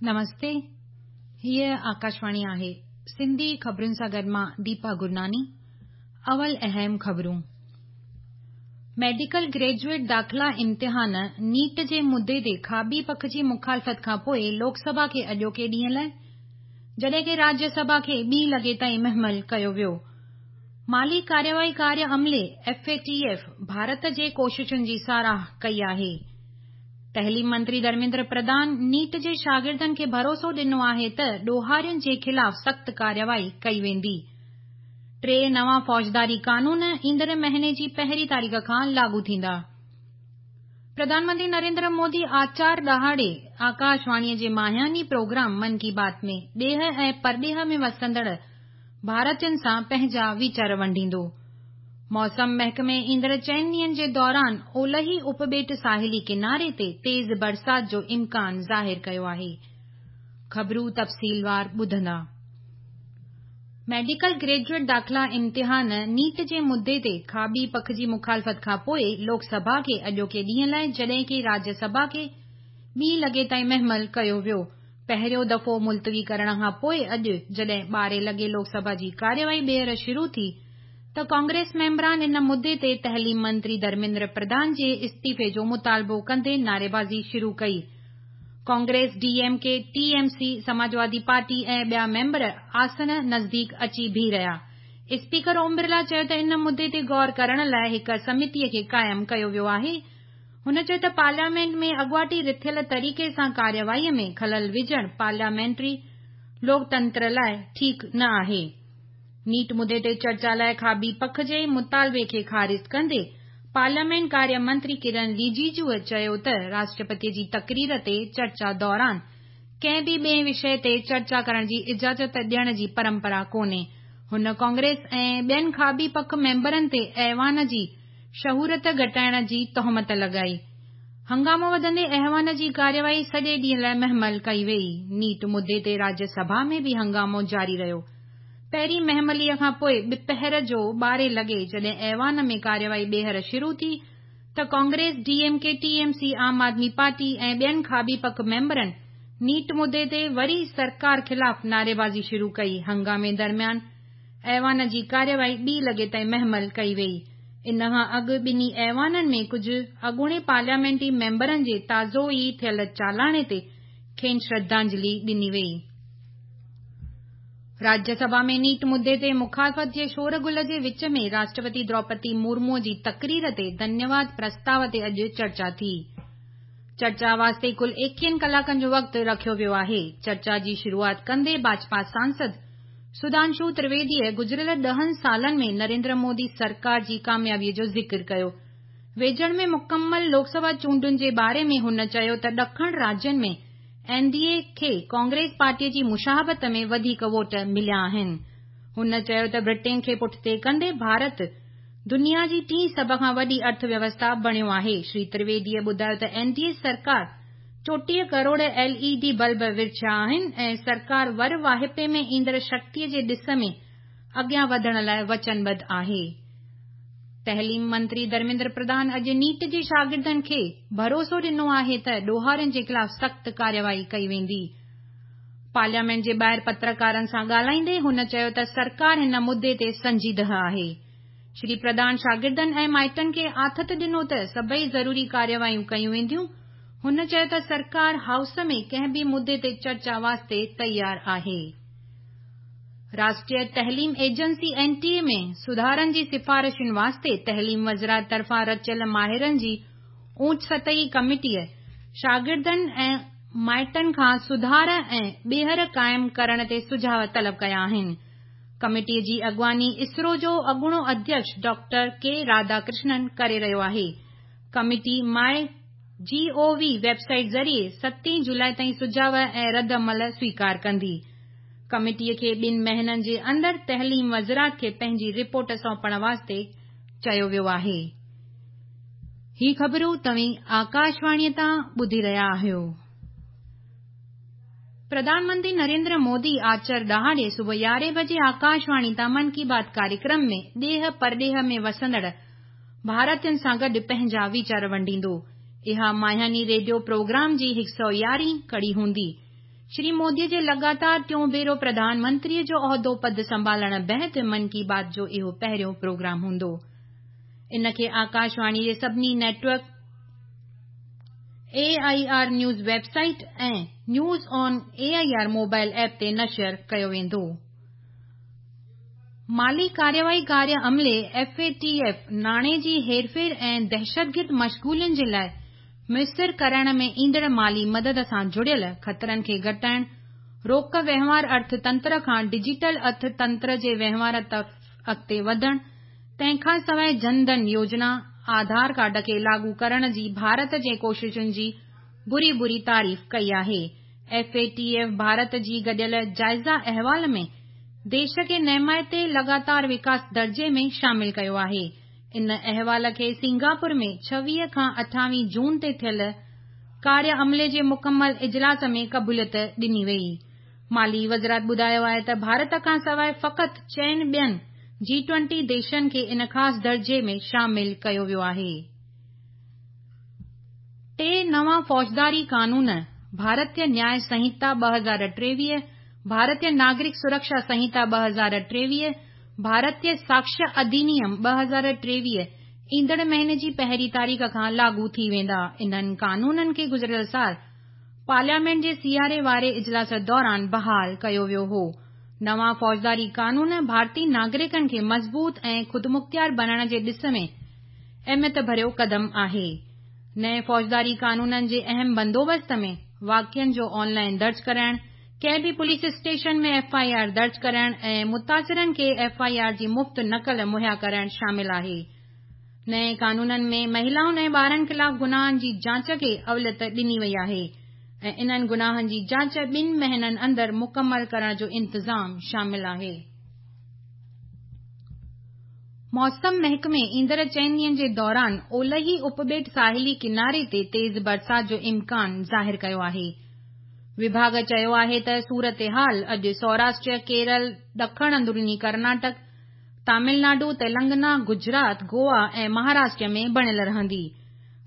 نمستي هيء آڪاشواڻي آهي سنڌي خبرن سان گڏ مان ديپا گرناني اول اهم خبرون ميڊيڪل گريجوئيٽ داخلا امتحان نيٽ جي مدي تي کاٻي پک جي مخالفت کان پوء لوڪ سڀا کي اڄوڪي ڏينهن لاء جڏهن ڪي راجيه سڀا کي ٻي لڳي تائين مهمل ڪيو ويو. مالي ڪارروائي ڪاريه عملي، F A T F, Bharat جي ڪوششن جي ساراهه ڪئي آهي. تعليم منتري ڌرميندر پرڌان نيٽ جي شاگردن کي ڀروسو ڏنو آهي ته ڏوهارين جي خلاف سخت ڪارروائي ڪئي ويندي. ٽي نوان فوجداري قانون ايندڙ مهيني جي پهرين تاريخ کان لاڳو ٿيندا. پرڌان منتري نريندر مودي آچار ڏهاڙي آڪاشواڻي جي ماهياني پروگرام من ڪي بات ۾ ڏيهه ۽ پرڏيهه ۾ وسندڙ ڀارتين سان پنهنجا ويچار ونڊيندو. موسم محڪمي ايندڙ چئن ڏينهن جي دوران اولهي اپٻيٽ ساحلي ڪناري تي تيز برسات جو امڪان ظاهر ڪيو آهي. خبرون تفصيلوار ٻڌندا. ميڊيڪل گريجوئيٽ داخلا امتحان نيٽ جي مدي تي کاٻي پک جي مخالفت کان پوء لوڪ سڀا کي اڄوڪي ڏينهن لاء جڏهن ڪي راجيه سڀا کي ٻي لڳي تائين مهمل ڪيو ويو. پهريون دفعو ملتوي ڪرڻ کان پوء اڄ جڏهن ٻارهين لڳي لوڪ سڀا جي ڪارروائي ٻيهر شروع ٿي ته ڪانگريس ميمبران ان مدي تي تعليم منتري ڌرميندر پرڌان جي استعيفي جو مطالبو ڪندي نعريبازي شروع ڪئي. Congress, D M K, T M C, Samajwadi party ۽ ٻيا ميمبر آسن نزديڪ اچي بيهي رهيا. اسپيڪر اوم برلا چيو ته ان مدي تي غور ڪرڻ لاء هڪ سمتي کي قائم ڪيو ويو آهي. هن چيو ته پارليامينٽ ۾ اڳواٽي رٿيل طريقي سان ڪارروائي ۾ خلل وجهڻ پارليامينٽري لوڪتنتر لاء ٺيڪ نه آهي. نيٽ مدي تي چرچا لاء کاٻي پک جي مطالبي کي خارج ڪندي پارليامينٽ ڪاريه منتري ڪرن رجيجوء چيو ته راشٽرپتي جي تقرير تي چرچا دوران ڪنهن به ٻئي وشيه تي چرچا ڪرڻ جي اجازت ڏيڻ جي پرمپرا ڪونهي. هن ڪانگريس ۽ ٻين کاٻي پک ميمبرن تي ايوان جي شهرت گهٽائڻ جي تهمت لڳائي. هنگامو وڌندي ايوان جي ڪارروائي سڄي ڏينهن لاء مهمل ڪئي ويئي. نيٽ مدي تي راجيه سڀا ۾ به هنگامو جاري رهيو. پهرين مهمليء کان پوء ٻپهر جو ٻارهين لڳي جڏهن ايوان ۾ ڪارروائي ٻيهر شروع ٿي ته Congress, D M K, T M C, Aam Aadmi party ۽ ٻين کاٻي پک ميمبرن نيٽ مدي تي وري سرڪار خلاف نعريبازي شروع ڪئي. هنگامي درميان ايوان جي ڪارروائي ٻي لڳي تائين مهمل ڪئي ويئي. ان کان اڳ ٻنهي ايوانن ۾ ڪجهه اڳوڻي پارليامينٽي ميمبرن جي تازو ئي ٿيل چالاڻي تي کين شرڌانجلي ڏني ويئي. راجيه سڀا ۾ نيٽ مدي تي مخالفت جي شور غل جي وچ ۾ راشٽرپتي دروپدي مورمو جي تقرير تي ڌنيواد پرستاء تي اڄ چرچا ٿي. چرچا واسطي ڪل ايڪيهن ڪلاڪن جو وقت رکيو ويو آهي. چرچا جي شروعات ڪندي ڀاجپا سانسد سڌانشو ترويديء گذريل ڏهن سالن ۾ نريندر مودي سرڪار جي ڪاميابيء جو ذڪر ڪيو. ويجهڙ ۾ مڪمل لوڪ سڀا چونڊن جي باري ۾ هن چيو ته ڏکڻ راجين ۾ اين ڊي اي کي ڪانگريس پارٽيء جي مشاهبت ۾ وڌيڪ ووٽ مليا آهن. هن چيو ته برٽين کي پٺتي ڪندي ڀارت دنيا جي ٽين سڀ کان وڏي ارٿ ويوسٿا بڻيو آهي. شري ترويديء ٻڌايو ته اين ڊي اي سرڪار 34 ڪروڙ ايل اي ڊي بلب ورڇيا آهن ۽ سرڪار ور واهپي ۾ ايندڙ شڪتيء جي ڏس ۾ اڳيان وڌڻ لاء وچنبڌ آهي. تعليم منتري ڌرميندر پرڌان اڄ نيٽ جي شاگردن کي ڀروسو ڏنو آهي ته ڏوهارين جي خلاف سخت ڪارروائي ڪئي ويندي. پارليامينٽ جي ٻاهر پترڪارن سان ڳالهائيندي هن چيو ته سرڪار هن مدي تي سنجيده آهي. شري پرڌان شاگردن ۽ مائٽن کي آٿت ڏنو ته سڀئي ضروري ڪارروايون ڪيون وينديون. هن چيو ته سرڪار هائوس ۾ ڪنهن به مدي تي چرچا واسطي تيار آهي. راشٽريه تعليم ايجنسي اين ٽي اي ۾ سڌارن جي سفارشن واسطي تعليم وزارت طرفان رچيل ماهرن جي اوچ سطحي ڪميٽيء شاگردن ۽ مائٽن کان سڌار ۽ ٻيهر قائم ڪرڻ تي سجهاء طلب ڪيا آهن. ڪميٽيء جي اڳواڻي اسرو جو اڳوڻو اڌيڪش ڊاڪٽر ڪي راڌا ڪرشنن ڪري رهيو آهي. Committee my G O V website ذريعي ستين جولاء تائين سجهاء ۽ رد عمل سويڪار ڪندي. ڪميٽيء کي ٻن مهينن جي اندر تعليم وزارت کي پنهنجي رپورٽ سونپڻ واسطي چيو ويو آهي. هي خبرون توهين آڪاشواڻيء تان ٻڌي رهيا آهيو. پرڌان منتري نريندر مودي آچر ڏهاڙي صبح يارهين بجي آڪاشواڻي تان من ڪي بات ڪاريڪرم ۾ ڏيهه پرڏيهه ۾ وسندڙ ڀارتين سان گڏ پنهنجا ويچار ونڊيندو. اها ماهياني ريڊيو پروگرام جي هڪ سؤ يارهين ڪڙي هوندي. شري مودي جي لڳاتار ٽيون ڀيرو پرڌان منتري جو عهدو پد سنڀالڻ بعد من ڪي بات جو اهو پهريون پروگرام هوندو. ان کي آڪاشواڻي جي سڀني network, A I R news website ۽ news on A I R mobile app تي نشر ڪيو ويندو. مالي ڪارروائي ڪاريه عملي، ايف اي ٽي ايف، ناڻي جي هيرڦير ۽ دهشتگرد مشغولين جي لاء ميسر ڪرائڻ ۾ ايندڙ مالي مدد سان جڙيل خطرن کي گهٽائڻ، روڪ وهنوار ارٿ تنتر کان ڊجيٽل ارٿ تنتر جي وهنوار طرف اڳتي وڌڻ، تنهن کان سواء جن ڌن يوجنا، آڌار ڪارڊ کي لاڳو ڪرڻ جي ڀارت جي ڪوششن جي ڀري ڀري تعريف ڪئي آهي. ايف اي ٽي ايف ڀارت جي گڏيل جائزه احوال ۾ ديش کي نهمائتي لڳاتار وڪاس درجي ۾ شامل ڪيو آهي. ان احوال کي سنگاپور ۾ 26 کان 28 جون تي ٿيل ڪاريه عملي جي مڪمل اجلاس ۾ قبوليت ڏني وئي. مالي وزارت ٻڌايو آهي ته ڀارت کان سواء فقط چئن ٻين جي ٽوئنٽي ديشن کي ان خاص درجي ۾ شامل ڪيو ويو آهي. ٽي نوان فوجداري قانون، ڀارتيه نياء سنهتا 2023، ڀارتيه ناگرڪ سرڪشا سنهتا 2023، ڀارتيه ساڪشيه اڌينيم 2023 ايندڙ مهيني جي پهرين تاريخ کان لاڳو ٿي ويندا. انهن قانونن کي گذريل سال پارليامينٽ جي سياري واري اجلاس دوران بحال ڪيو ويو هو. نوان فوجداري قانون ڀارتي ناگرڪن کي مضبوط ۽ خودمختيار بڻائڻ جي ڏس ۾ اهميت ڀريو قدم آهي. نئين فوجداري قانونن جي اهم بندوبست ۾ واقعن جو آن لائين درج ڪرائڻ، ڪنهن به police station ۾ F I R درج ڪرائڻ ۽ متاثرن کي ايف I R جي مفت نقل مهيا ڪرائڻ شامل آهي. نئين قانونن ۾ مهلائن ۽ ٻارن خلاف گناهن جي جاچ کي اوليت ڏني وئي آهي ۽ انهن گناهن جي جاچ ٻن مهينن اندر مڪمل ڪرڻ جو انتظام شامل آهي. موسم محڪمي ايندڙ چئن ڏينهن جي دوران اولهي اپٻيٽ ساحلي ڪناري تي تيز برسات جو امڪان ظاهر ڪيو آهي. وڀاڳ چيو آهي ته صورتحال اڄ سوراشٽر، ڪيرل، ڏکڻ اندروني ڪرناٽڪ، تامل ناڊو، تيلنگنا، گجرات، گوا ۽ مهاراشٽر ۾ بڻيل رهندي.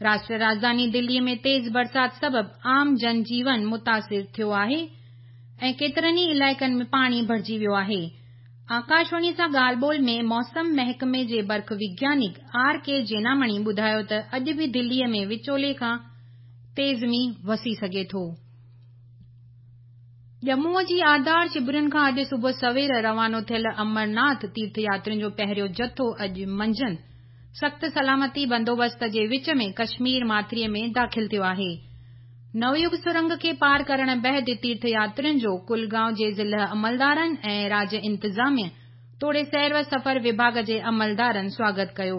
راشٽر راڄڌاني دلي ۾ تيز برسات سبب عام جن جيون متاثر ٿيو آهي ۽ ڪيترن ئي علائقن ۾ پاڻي ڀرجي ويو آهي. آڪاشواڻي سان ڳالهه ٻولهه ۾ موسم محڪمي جي برک وگيانڪ آر ڪي جينامڻي ٻڌايو ته اڄ به دلي ۾ وچولي کان تيز مينهن وسي سگهي ٿو. ڄمون جي آڌار شبرن کان اڄ صبح سوير روانو ٿيل امرناٿ تيرٿ ياترين جو پهريون جٿو اڄ منجهند سخت سلامتي بندوبست جي وچ ۾ ڪشمير ماٿري ۾ داخل ٿيو آهي. نويگ سرنگ کي پار ڪرڻ بعد تيرٿ ياترين جو ڪلگائون جي ضلع عملدارن ۽ راڄ انتظاميه توڙي سير و سفر وڀاڳ جي عملدارن سواگت ڪيو.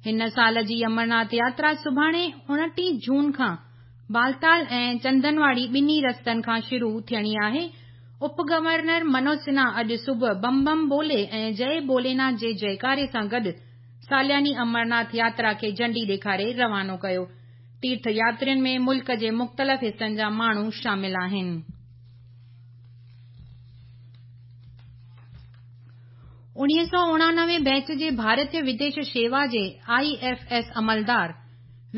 هن سال جي امرناٿ ياترا سڀاڻي 29 جون کان بالتال ۽ چندنواڙي ٻنهي رستن کان شروع ٿيڻي آهي. اپ گورنر منوج سنها اڄ صبح بم بم بولي ۽ جئي ڀوليناٿ جي جئڪاري سان گڏ سالياني امرناٿ ياترا کي جهنڊي ڏيکاري روانو ڪيو. تيرٿ ياترين ۾ ملڪ جي مختلف حصن جا ماڻهو شامل آهن. 1989 بيچ جي ڀارتيه وديش شيوا جي I F S عملدار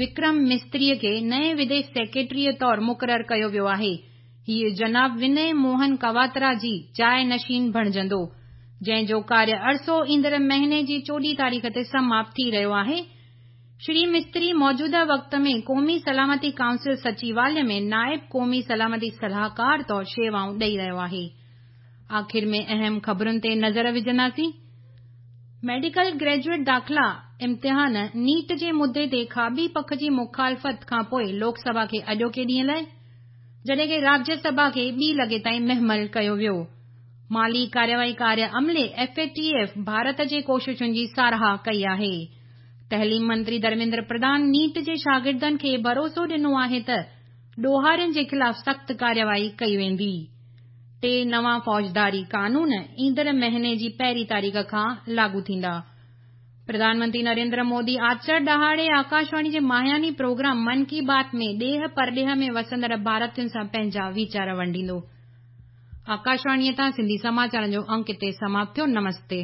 وڪرم مستريء کي نئين وديش سيڪريٽريء طور مقرر ڪيو ويو آهي. هيء جناب ونئي موهن ڪواترا جي جاء نشين بڻجندو، جنهن جو ڪاريه عرصو ايندڙ مهيني جي 14 تاريخ تي سماپت ٿي رهيو آهي. شري مستري موجوده وقت ۾ قومي سلامتي ڪائونسل سچيواليه ۾ نائب قومي سلامتي صلاحڪار طور شيوائون ڏئي رهيو آهي. آخر ۾ اهم خبرن تي نظر وجهنداسين. ميڊيڪل گريجوئيٽ داخلا امتحان نيٽ جي مدي تي کاٻي پک جي مخالفت کانپوء لوڪ سڀا کي اڄوڪي ڏينهن لاء جڏهن ڪه راجيه سڀا کي ٻي لڳي تائين مهمل ڪيو ويو. مالي ڪارروائي ڪاريه عملي، ايف اي ٽي ايف، ڀارت جي ڪوششن جي ساراهه ڪئي آهي. تعليم منتري ڌرميندر پرڌان نيٽ جي شاگردن کي ڀروسو ڏنو آهي ته ڏوهارين جي خلاف سخت ڪارروائي ڪئي ويندي. ٽي نوان فوجداري قانون ايندڙ مهيني جي پهرين تاريخ کان لاڳو ٿيندا. پرڌان منتري نريندر مودي آچر ڏهاڙي آڪاشواڻي جي ماهياني پروگرام من ڪي بات ۾ ڏيهه پرڏيهه ۾ وسندڙ ڀارتين سان پنهنجا ويچار ونڊيندو. آڪاشواڻيء تان سنڌي سماچارن جو انڪ هتي سماپت ٿيو. نمستي.